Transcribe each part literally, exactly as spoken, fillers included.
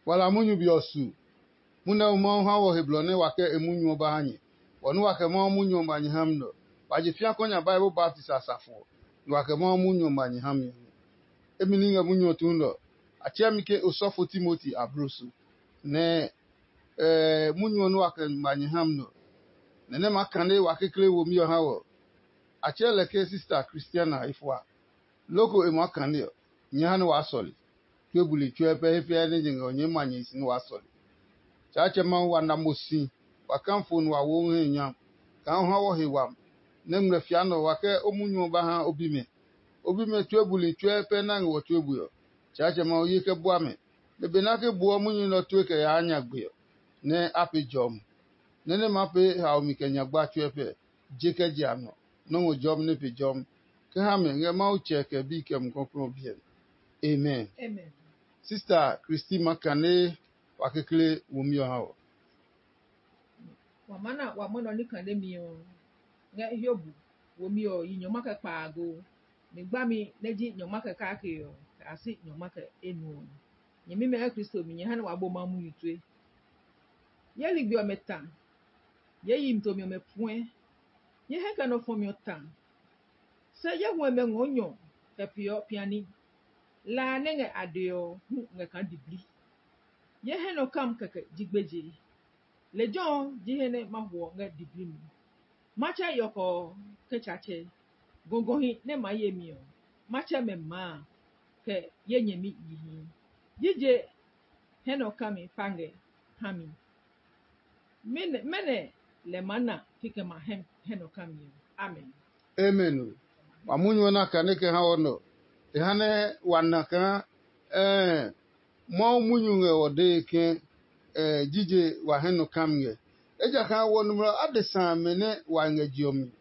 Wala munyu be ɔ su, munyu nɛ Mawu ha wɔ he blɔ nɛ wa kɛ e munyu ɔ ba ha nyɛ. Wɔ nɛ wa kɛ Mawu munyu ɔ ma nyɛ ha mi nɛ ɔ, wa je fĩa kɔ nya Bible baptisi a safo ɔ, nɛ wa kɛ Mawu munyu ɔ ma nyɛ ha mi ɔ nɛ. Emi ní ngɛ munyu ɔ tuun nɛ ɔ, a tsɛɛ mi ke osɔfo Timoti abloso, nɛ munyu ɔ nɛ wa kɛ ma nyɛ ha mi nɛ ɔ, nɛ nɛ maa kane wa kekle womi ɔ ha wɔ. A tsɛɛ lɛ ke sista Kristiana efua. Loko e maa kane ɔ, nyɛɛ ha nɛ waa sɔle. Tue buli tsuɛ pɛ he fiɛ nɛ nyɛ ngɛ ɔ nyɛɛ ma nyɛ si nɛ waa sɔle. Tsaatsɛ Mawu wa na mo si, wa kafo nɛ wa wo o he nyam, kaa o ha wɔ he wami, nɛ ngmlɛ fia nɛ ɔ wa kɛ o munyu ɔ ba ha o bimɛ. O bimɛ tue buli tsuɛ pɛ nɛ a ngɛ wɔ tue bue ɔ. Tsaatsɛ Mawu ye kɛ bua mɛ, nɛ benɛ a ke buɔ munyu nɛ ɔ tue kɛ yaa nyagbe ɔ, nɛ a pee jɔmi, nɛ nɛ ma pee haomi kɛ nyagba tsuɛ pɛ, je kɛ je a nɔ, nɔ́ ngɔ jɔmi nɛ pe jɔmi, kɛ ha mɛ ngɛ Mawu Tsɛ kɛ Bi kɛ Mumi Klɔuklɔu ɔ biɛ mi. Amen. Sista Kristi ma kane wa kekle womi ɔ ha wɔ. Wa maa na wa mwɔnɛ ɔ ní kane mi ɔ ngɛ Hiob womi ɔ yi nyɔngma kɛ kpaago. Mi gbami nɛ ji nyɔngma kɛ kake ɔ, kɛ a si nyɔngma kɛ enu ɔ. Nyɛmimɛ ngɛ Kristo mi, nyɛ ha nɛ wa bo Mawu munyu tue. Ye ligbi ɔmɛ ta, ye yi mi tomi ɔmɛ puɛ, ye hɛ kɛ nɔ fɔmi ɔ ta. Se ye huɛmɛ ngɔɔ nyɔ kɛ peeɔ piani. La a nɛ ngɛ a dee ɔ hu ngɛ kaa diblii. Ye hɛ nɔ kam kɛkɛ ji gbeje. Lejɛ ɔ ji he nɛ ma huɔ ngɛ diblii mi. Matsɛ yɔkɔ ɔ kɛ tsatsɛ, gɔgɔhi nɛ maa ye mi ɔ, matsɛ mɛ maa, kɛ ye nyɛmi yihi. Jije hɛ nɔ kami pa ngɛ ha mi. Mɛnɔ lɛ maa na kikɛ ma hɛ nɔ kami ɔ? Amen. Amen. Wa munyu ɔ na kane kɛ ha wɔ nɔ. E ha nɛ wa na kaa ɛɛ Mawu munyu ngɛ ɔ dee ke jije wa hɛ nɔ kami ngɛ. Ejakaa wɔ nɔmlɔ adesa amɛ nɛ wa ngɛ je ɔ mi.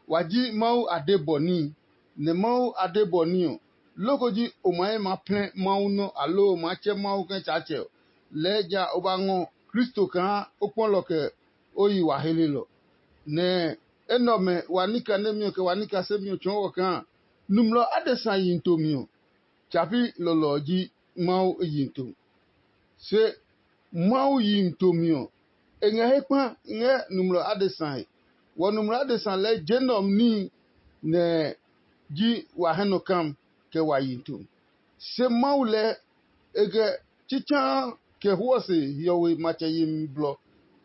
Wa ji Mawu adebɔ níhi, nɛ Mawu adebɔ ní ɔ, loko ji o ma he ma plɛ Mawu nɔ́ aloo o maa tsɛ Mawu ke Tsaatsɛ ɔ, lɛɛ ja o ba ngɔ Kristo kaa o kpɔlɔ kɛ o yi wa helelɔ. Nɛ enɛ ɔmɛ wa ní kanemi ɔ kɛ wa ní kasemi ɔ tsɔɔ wɔ kaa nɔmlɔ adesa yihi tomi ɔ, tsa pi lɔlɔ ɔ ji Mawu yihi to. Se Mawu yihi tomi ɔ, e ngɛ he kpa ngɛ nɔmlɔ adesa he. Wɔ nɔmlɔ adesa lɛɛ je nɛ ɔ mi níhi nɛ ji wa hɛ nɔ kam kɛ wa yihi to. Se Mawu lɛɛ e kɛ tsitsaa kɛ huɔ se hiɔwe matsɛ yemi blɔ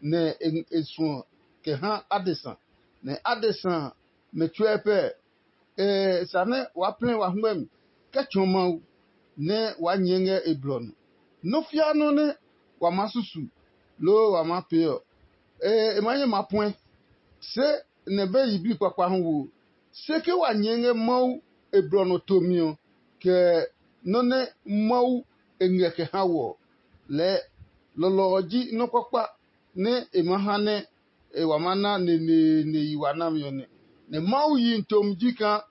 nɛ e suɔ kɛ ha adesa, nɛ adesa mɛ tsuɛ pɛ. E sa nɛ waa plɛ wa hwɛmi kɛ tsɔɔ Mawu nɛ waa nyɛɛ ngɛ e blɔ nɔ. Nɔ́ fiaa nɔ́ nɛ wa maa susu loo wa maa pee ɔ, e maa nyɛ maa puɛ. Se nɛ be yiblii kpakpa hu wo. Se ke wa nyɛɛ ngɛ Mawu e blɔ nɔ tomi ɔ, kɛ nɔ́ nɛ Mawu e ngɛ kɛ ha wɔ ɔ, lɛɛ lɔlɔ ɔ ji nɔ́ kpakpa nɛ e maa ha nɛ e wa maa na neneene yi wa nami ɔ nɛ. Nɛ Mawu yihi tomi ji kaa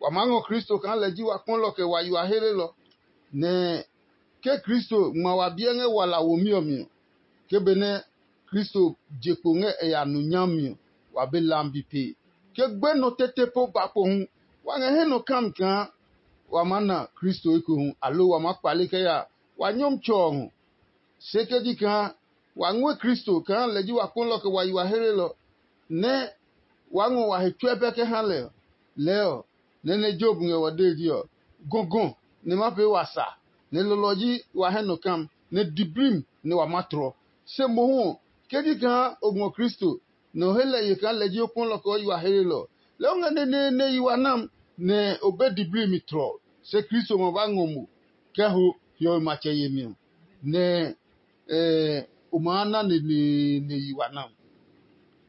wa maa ngɔ Kristo kaa lɛ ji wa kpɔlɔ kɛ wa yi wa helelɔ. Nɛ ke Kristo ngma wa biɛ ngɛ wala womi ɔ mi ɔ, ke benɛ Kristo je kpo ngɛ e ya nu nyami ɔ, wa be lambi pee. Ke gbenɔ tete po ba kpo hu, wa ngɛ he nɔ kami kaa wa maa na Kristo ekohu, aloo wa maa kpale kɛ ya wa Nyɔmtsɛ ɔ ngɔ. Se ke ji kaa wa ngɔɛ Kristo kaa lɛ ji wa kpɔlɔ kɛ wa yi wa helelɔ, nɛ waa ngɔ wa he tsuɛ pɛ kɛ ha lɛ ɔ, lɛɛ ɔ, nɛ nɛ Yob ngɛ wa dee ji ɔ, gɔgɔ nɛ ma pee wa sa, nɛ lɔlɔ ji wa hɛ nɔ kam, nɛ diblii nɛ wa ma tlɔ. Se mohu ɔ, ke ji kaa o ngɔ Kristo, nɛ o he lɛ ye kaa lɛ ji o kpɔlɔ kɛ o yi wa helelɔ ɔ, lɛɛ o ngɛ neneene yi wa nam, nɛ o be diblii mi tlɔ. Se Kristo ma ba ngɔ mo kɛ ho hiɔwe matsɛ yemi ɔ, nɛ o maa na neneene yi wa nam.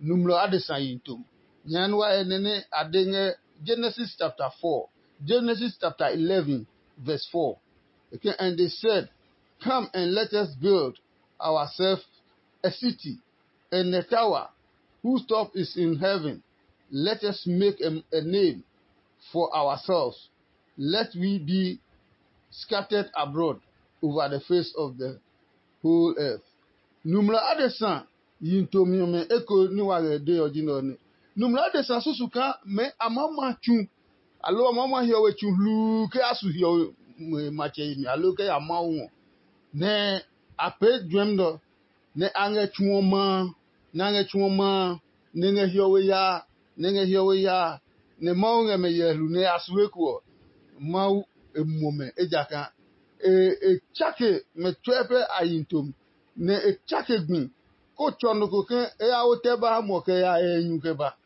Nɔmlɔ adesa yihi tom. Nyɛɛ nua ɛ nɛ nɛ a de ngɛ Genesis chapter four, Genesis chapter eleven, verse four. Okay, and they said, "Come and let us build ourselves a city and a tower whose top is in heaven. Let us make a, a name for ourselves. Let we be scattered abroad over the face of the whole earth." Nɔmlɔ adesa yihi tomi ɔmɛ eko ní wa ngɛ de ɔ ji nɛ ɔ nɛ. Nɔmlɔ adesa susu kaa mɛ a maa ma tsu, aloo a maa ma hiɔwe tsu hluu kɛ a su hiɔwe matsɛ yemi aloo kɛ ya Mawu ngɔ. nɛ a pee juɛmi nɛ ɔ, nɛ a ngɛ tsu ɔ ma a, nɛ a ngɛ tsu ɔ ma a, nɛ e ngɛ hiɔwe yaa, nɛ e ngɛ hiɔwe yaa, nɛ Mawu ngɛ mɛ hyɛlu nɛ a su eko ɔ, Mawu e muɔ mɛ, ejakaa e tsake mɛ tsuɛ pɛ a yi tomi, nɛ e tsake gbi, kó tsɔ nɔ ko ke e ya wo tɛ ba ha muɔ kɛ ya yɛ nyu kɛ ba.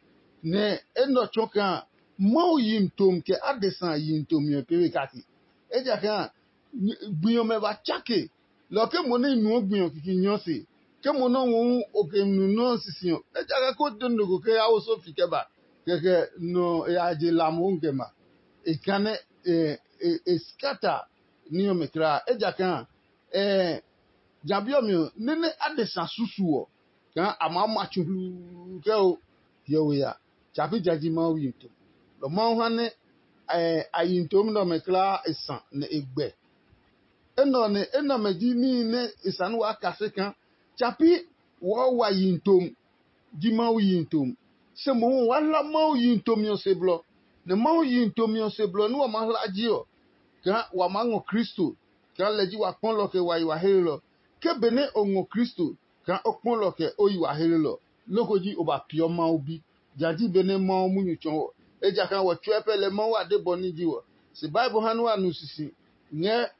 Nɛ enɛ ɔ tsɔɔ kaa Mawu yi tomi kɛ adesa yi tomi ɔ pee we kake. Ejakaa gbi ɔmɛ ba tsake, lɔ ke mo nɛ i nuɔ gbi ɔ kiki nyɔ se, ke mo nɛ ɔ ngɔ hu o ke nu nɔ́ sisi ɔ, ejakaa ko de nɔ ko ke ya wo sofi kɛ ba, kɛkɛ nɔ ya je la mohu kɛ ma. E kanɛ e skata ní ɔmɛ kulaa, ejakaa ja bi ɔ mi ɔ, nɛ nɛ adesa susu ɔ, kaa a maa ma tsu hluu kɛ o hiɔwe ya. Tsa pi ja ji Mawu yi to. Lɔ Mawu ha nɛ a yi ntomi nɛ ɔmɛ kulaa e sa nɛ e gbɛ. Enɛ ɔ nɛ enɛ ɔmɛ ji níhi nɛ e sa nɛ waa kase kaa tsa pi wɔɔ wa yi ntomi ji Mawu yi ntomi. Se mohu waa hla Mawu yi ntomi ɔ se blɔ, nɛ Mawu yi ntomi ɔ se blɔ nɛ wa maa hla ji ɔ, kaa wa maa ngɔ Kristo, kaa lɛ ji wa kpɔlɔ kɛ wa yi wa helelɔ. Ke benɛ o ngɔ Kristo, kaa o kpɔlɔ kɛ o yi wa helelɔ, loko ji o ba peeɔ Mawu bi. Ja ji benɛ Mawu munyu tsɔ wɔ, ejakaa wɔ tsuɛ pɛ lɛ Mawu a de bɔ ní ji wɔ. Se Bible ha nɛ wa nu sisi ngɛ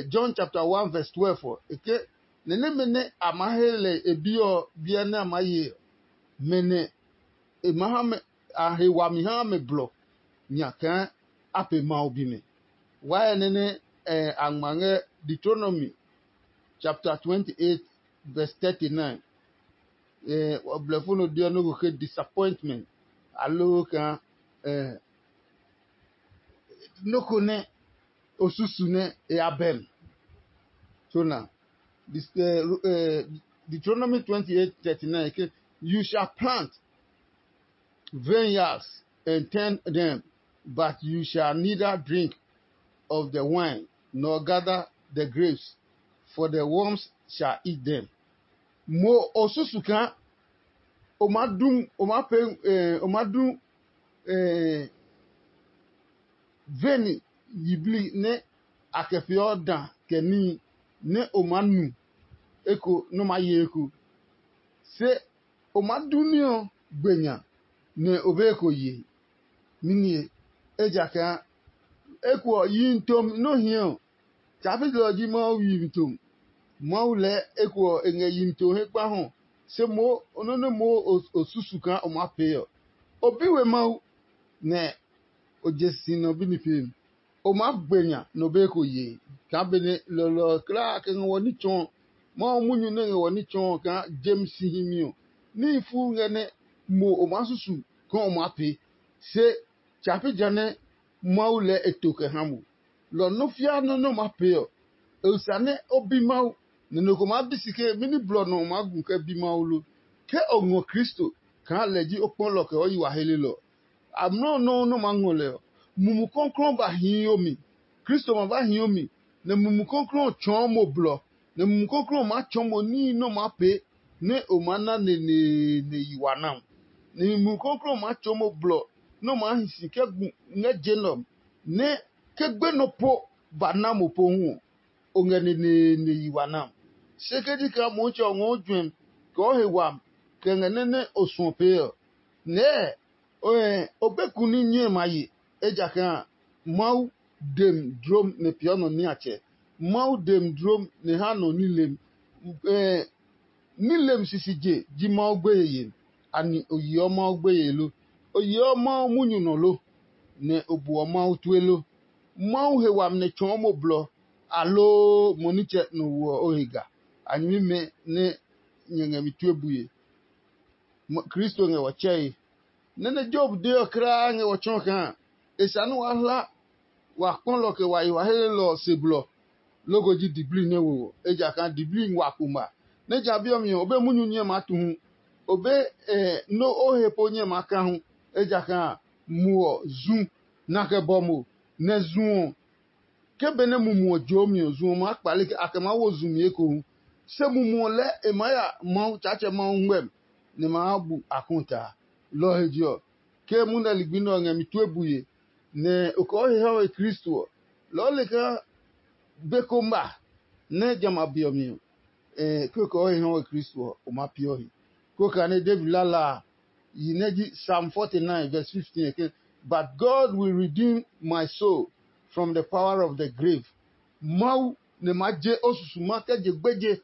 John chapter one verse twelve ɔ, e ke, nɛ nɛmɛ nɛ a maa he lɛ e bi ɔ biɛ nɛ a maa ye ɔ, mɛ nɛ e ma ha mɛ a he wami ha mɛ blɔ nya kaa a pe Mawu bimɛ. Wai nɛ nɛ a ngma ngɛ Deuteronomy chapter twenty eight verse thirty nine. Blɛfo nɔ deɔ nɔ́ ko ke disappointment aloo kaa nɔ́ ko nɛ o susu nɛ e ya bɛm. So na Deuteronomy twenty eight thirty nine ke, you shall plant vineyards and tend them, but you shall neither drink of the wine nor gather the grapes, for the worms shall eat them. Mo o susu kaa o ma du o ma pe o ma du veni yiblii nɛ a kɛ peeɔ da kɛ níhi nɛ o maa nu eko nɛ o maa ye eko. Se o maa du ní ɔ gbe nya, nɛ o be eko ye. Ninie, ejakaa eko ɔ, yihi tomi nɛ o hia ɔ, tsa pi lɛ ɔ ji Mawu yihi tomi. Mawu lɛɛ eko ɔ, e ngɛ yihi tomi he kpa hɔ, se moo nɔ́ nɛ moo o susu kaa o maa pee ɔ. O bi we Mawu, nɛ o je si nɔ bi ní peemi. O maa gbe nya nɔ be ko yee kaa benɛ lɔlɔ kulaa kɛ ngɛ wɔ ní tsɔɔ. Mawu munyu nɛ ngɛ wɔ ní tsɔɔ kaa jem si himi ɔ, níhi fuu ngɛ nɛ mo o maa susu kaa o maa pee. Se tsa pi ja nɛ Mawu lɛɛ e to kɛ ha mo. Lɔ nɔ́ fiaa nɔ́ nɛ o maa pee ɔ, e sa nɛ o bi Mawu, nɛ nɔ ko maa bi si ke mɛni blɔ nɔ o maa gu kɛ bi Mawu lo. Ke o ngɔ Kristo kaa lɛ ji o kpɔlɔ kɛ o yi wa helelɔ ɔ, amlɔ nɔuu nɛ o maa ngɔ lɛ ɔ, Mumi Klɔuklɔu ba hii o mi. Kristo ma ba hii o mi, nɛ Mumi Klɔuklɔu ɔ tsɔɔ mo blɔ, nɛ Mumi Klɔuklɔu ɔ maa tsɔɔ mo níhi nɛ o maa pee nɛ o maa na neneene yi wa na ɔ. Nɛ Mumi Klɔuklɔu ɔ maa tsɔɔ mo blɔ nɛ o maa hi si kɛ gu ngɛ je nɛ ɔ, nɛ ke gbenɔ po ba na mo pohu ɔ, o ngɛ neneene yi wa na ɔ. Se ke ji kaa Motsɛ ɔ ngɔɔ juɛmi kɛ o he wami kɛ ngɛ nɛ nɛ o suɔ pee ɔ, nɛɛ o be ku ní nyɛe ma ye, ejakaa Mawu dem dlom nɛ peeɔ nɔ niatsɛ. Mawu dem dlom nɛ ha nɔ nilem. Nilem sisi je ji Mawu gbeye yemi. Ani o yeɔ Mawu gbeye lo? O yeɔ Mawu munyu nɔ lo, nɛ o buɔ Mawu tue lo? Mawu he wami nɛ tsɔɔ mo blɔ, aloo mo nitsɛ nɔ woɔ o he ga? A nyɛmimɛ nɛ nyɛ ngɛ mi tue bue. Kristo ngɛ wɔ tsɛe. Nɛ nɛ Job de ɔ kulaa ngɛ wɔ tsɔɔ kaa e sa nɛ waa hla wa kpɔlɔ kɛ wa yi wa helelɔ ɔ se blɔ, loko ji diblii nɛ wo ɔ, ejakaa diblii wa kpo ma. Nɛ ja bi ɔ mi ɔ, o be munyu nyɛ maa tu hu, o be nɔ o he po nyɛ maa ka hu, ejakaa muɔ zu na kɛ bɔ mo, nɛ zu ɔ, ke benɛ mumu ɔ joomi ɔ, zu ɔ maa kpale ke a kɛ maa wo zu mi ekohu. Se mumu ɔ lɛɛ e maa ya Mawu Tsaatsɛ Mawu ngmɛmi, nɛ ma bu a kɔta. Lɔ ɔ he je ɔ, ke munɛ ligbi nɛ ɔ ngɛ mi tue bue, nɛ o kɔɔ he ha we Kristo ɔ, lɔɔ le kaa be ko ma, Nɛ jamɛ a be ɔ mi ɔ, kekɔ o he hɔ̃ we Kristo ɔ, o ma peeɔ he. Koko a nɛ David lala a, yi nɛ ji Psalm forty-nine verse fifteen ɔ ke, "But God will redeem my soul from the power of the grave." Mawu nɛ ma je o susuma kɛ je gbeje.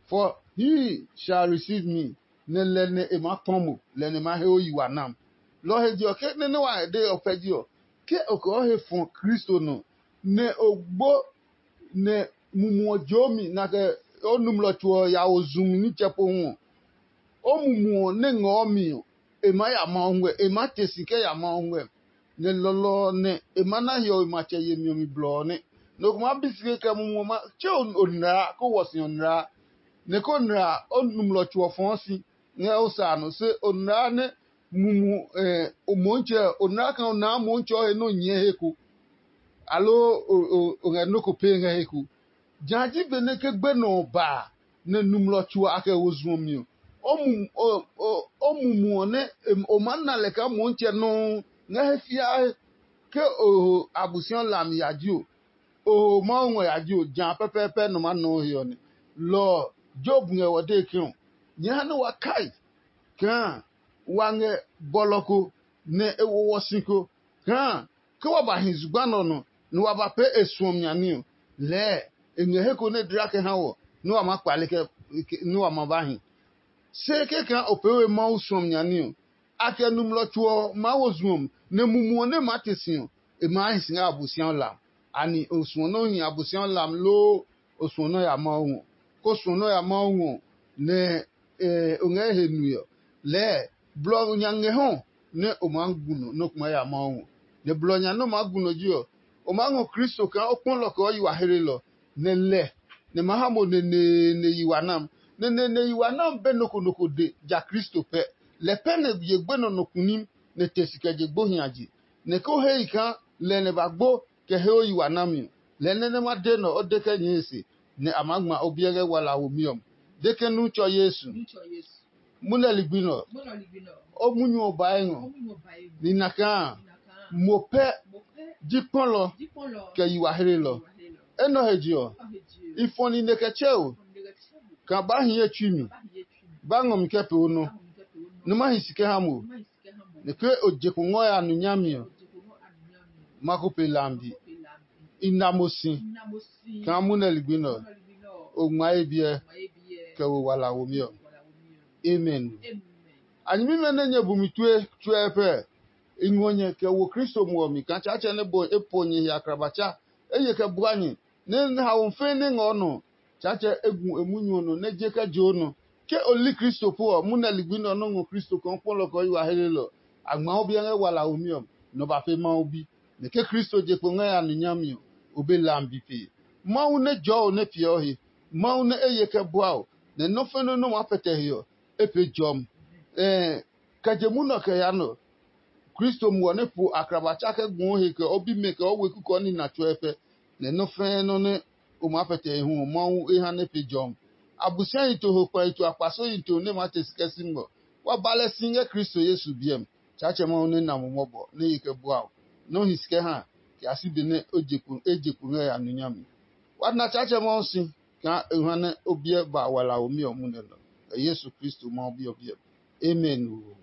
"For he shall receive me," nɛ lɛ nɛ e maa kpɔ mo, lɛ nɛ ma he o yi wa nam. Lɔ ɔ he je ɔ, ke nɛ nɛ wa de ɔ pɛ ji ɔ, ke o kɛ o he fɔ Kristo nɔ, nɛ o gbo nɛ mumu ɔ joomi, na kɛ o nɔmlɔ tso ɔ ya wo zumi nitsɛ pohu ɔ, o mumu ɔ nɛ ngɔɔ mi ɔ, e maa ya Mawu ngɛ, e maa te si kɛ ya Mawu ngɛ. Nɛ lɔlɔ ɔ nɛ e ma na hiɔwe matsɛ yemi ɔ mi blɔ ɔ nɛ. Nɔ ko maa bi si kɛ mumu ɔ ma tse o nlaa, kó wɔ si ɔ nlaa, nɛ kó nlaa o nɔmlɔ tso ɔ fɔɔ si ngɛ o sa a nɔ, se o nlaa nɛ mumu o Motsɛ ɔ, o nlaa kaa o naa Motsɛ ɔ he nɛ o nyɛɛ he ko, aloo o ngɛ nɔ́ ko pee ngɛ he ko. Jã ji benɛ ke gbenɔ ɔ ba a, nɛ nɔmlɔ tso a kɛ wo zu ɔ mi ɔ, o mumu ɔ nɛ o maa na lɛ kaa Motsɛ nɔuu ngɛ he fiae. Ke o ho Abosiami hlami ya ji o, o ho Mawu ngɔ ya ji o, jã pɛpɛɛpɛ nɔ maa nɔɔ he ɔ nɛ. Lɔ ɔ, Yob ngɛ wɔ dee ke ɔ, nyɛɛ ha nɛ wa kai kaa wa ngɛ bɔlɔ ko nɛ e wo wɔ si ko, kaa ke wa ba hi zugba nɛ ɔ nɔ, nɛ wa ba pee e suɔmi ɔ, lɛɛ e ngɛ he ko nɛ dla kɛ ha wɔ nɛ wa maa kpale kɛ nɛ wa ma ba hi. Se kɛkaa o pee we Mawu suɔmi ɔ, a kɛ nɔmlɔ tso ɔ maa wo zu ɔ, nɛ mumu ɔ nɛ maa te si ɔ, e maa hi si ngɛ Abosiami hlami. Anɛ o suɔ nɔ́ hi Abosiami hlami loo o suɔ nɔ́ ya Mawu ngɔ? Ko suɔ nɔ́ ya Mawu ngɔ, nɛ o ngɛ he nue ɔ, lɛɛ blɔ nya ngɛ hɔ nɛ o maa gu nɔ nɔ́ kuma ya Mawu ngɔ. Nɛ blɔ nya nɛ o maa gu nɔ ji ɔ, o maa ngɔ Kristo kaa o kpɔ lɔ kɛ o yi wa hlelɔ, nɛ lɛ nɛ ma ha mo neneene yi wa nam. Nɛ neneene yi wa nam be nɔ ko nɔ ko de ja Kristo pɛ. Lɛ pɛ nɛ ye gbenɔ nɔ kunim nɛ te si kɛ je gbo hiaje. Nɛ ko hei kaa lɛ nɛ ba gbo kɛ he o yi wa nami ɔ, lɛ nɛ nɛ ma de nɔ o de kɛ nyɛe se, nɛ a maa ngma o biɛ ngɛ wala womi ɔ mi. De ke nu tsɔ Yesu. Munɛ ligbi nɛ ɔ, o munyu ɔ bae ngɔ. Nina kaa mo pɛ ji kpɔlɔ kɛ yi wa hlelɔ. Enɛ ɔ he je ɔ, i fɔ nine kɛ tsɛ o, kaa ba hi ye tsui mi, ba ngɔ mi kɛ pee o nɔ, nɛ ma hi si kɛ ha mo. Nɛ ke o je kpo ngɔ ya nu nyami ɔ, ma ko pe lambi. I na mo si kaa munɛ ligbi nɛ ɔ, o ngma ye biɛ kɛ wo wala womi ɔ. Amen. A nyɛmimɛ nɛ nyɛ bu mi tue tsuɛ pɛ, i ngɔ nyɛ kɛ wo Kristo muɔ mi kaa Tsaatsɛ nɛ bɔ e po nyɛ he akrabatsa, e ye kɛ bua nyɛ, nɛ haomi fɛɛ nɛ ngɛ o nɔ, Tsaatsɛ e gu e munyu ɔ nɔ nɛ je kɛ je o nɔ. Ke o li Kristo po ɔ, munɛ ligbi nɛ ɔ nɔ́ ngɔ Kristo kaa o kpɔlɔ kɛ o yi wa helelɔ. A ngma o biɛ ngɛ wala womi ɔ, nɔ ba pe Mawu bi. Nɛ ke Kristo je kpo ngɛ ya nu nyami ɔ, o be lambi pee. Mawu nɛ jɔɔ o nɛ piɛ o he, Mawu nɛ e ye kɛ bua o, nɛ nɔ́ fɛnɛ nɔ́ maa pɛtɛ he ɔ, e pee jɔmi. Ɛɛ, kɛ je munɔ kɛ ya nɔ, Kristo muɔ nɛ po akraba tsa kɛ guu he kɛ o bimɛ kɛ o weku kɛ o nina tsuɛ pɛ, nɛ nɔ́ fɛ́ɛ́ nɔ́ nɛ o maa pɛtɛ he hu ɔ, Mawu e ha nɛ pe jɔmi. Abosiahi to ho kpɛhi to akpasohi to nɛ maa te si kɛ si ngɔ. Wa ba lɛ si ngɛ Kristo Yesu biɛ mi. Tsaatsɛ Mawu nɛ na mo mɔbɔ nɛ ye kɛ bua o, nɛ o hi si kɛ ha kɛ a si be nɛ e je kpo ngɛ ya nu nyami. Wa na Tsaatsɛ Mawu si kaa e ha nɛ o biɛ ba walaomi ɔ munɛ nɔ, kɛ Yesu Kristo Mawu Bi ɔ biɛ mi. Amen oo.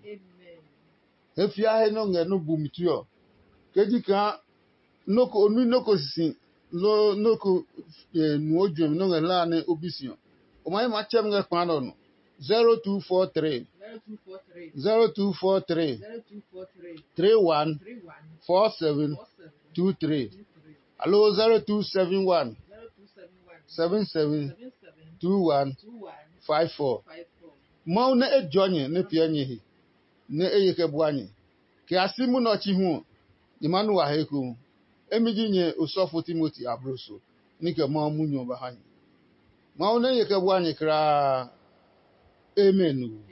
He fia he nɛ o ngɛ nɔ́ bumi tue ɔ, ke ji kaa nɔ́ ko o nui nɔ́ ko sisi loo nɔ́ ko nuɔ juɛmi nɔ́ ngɛ hlaa nɛ o bi si ɔ, o ma yi maa tsɛ mi ngɛ kpa nɛ ɔ nɔ. Zero two four three, zero two four three, three one four seven two three, aloo zero two seven one seven seven two one five four. Mawu nɛ e jɔ nyɛ nɛ piɛ nyɛ he, nɛ e ye kɛ bua nyɛ. Kɛ a si munɛ ɔ chi hu ɔ, nyɛ maa nu wa he ekohu. Emi ji nyɛ osɔfo Timoti abloso, ní kɛ Mawu munyu ɔ ba ha nyɛ. Mawu nɛ ye kɛ bua nyɛ kulaa. Amen.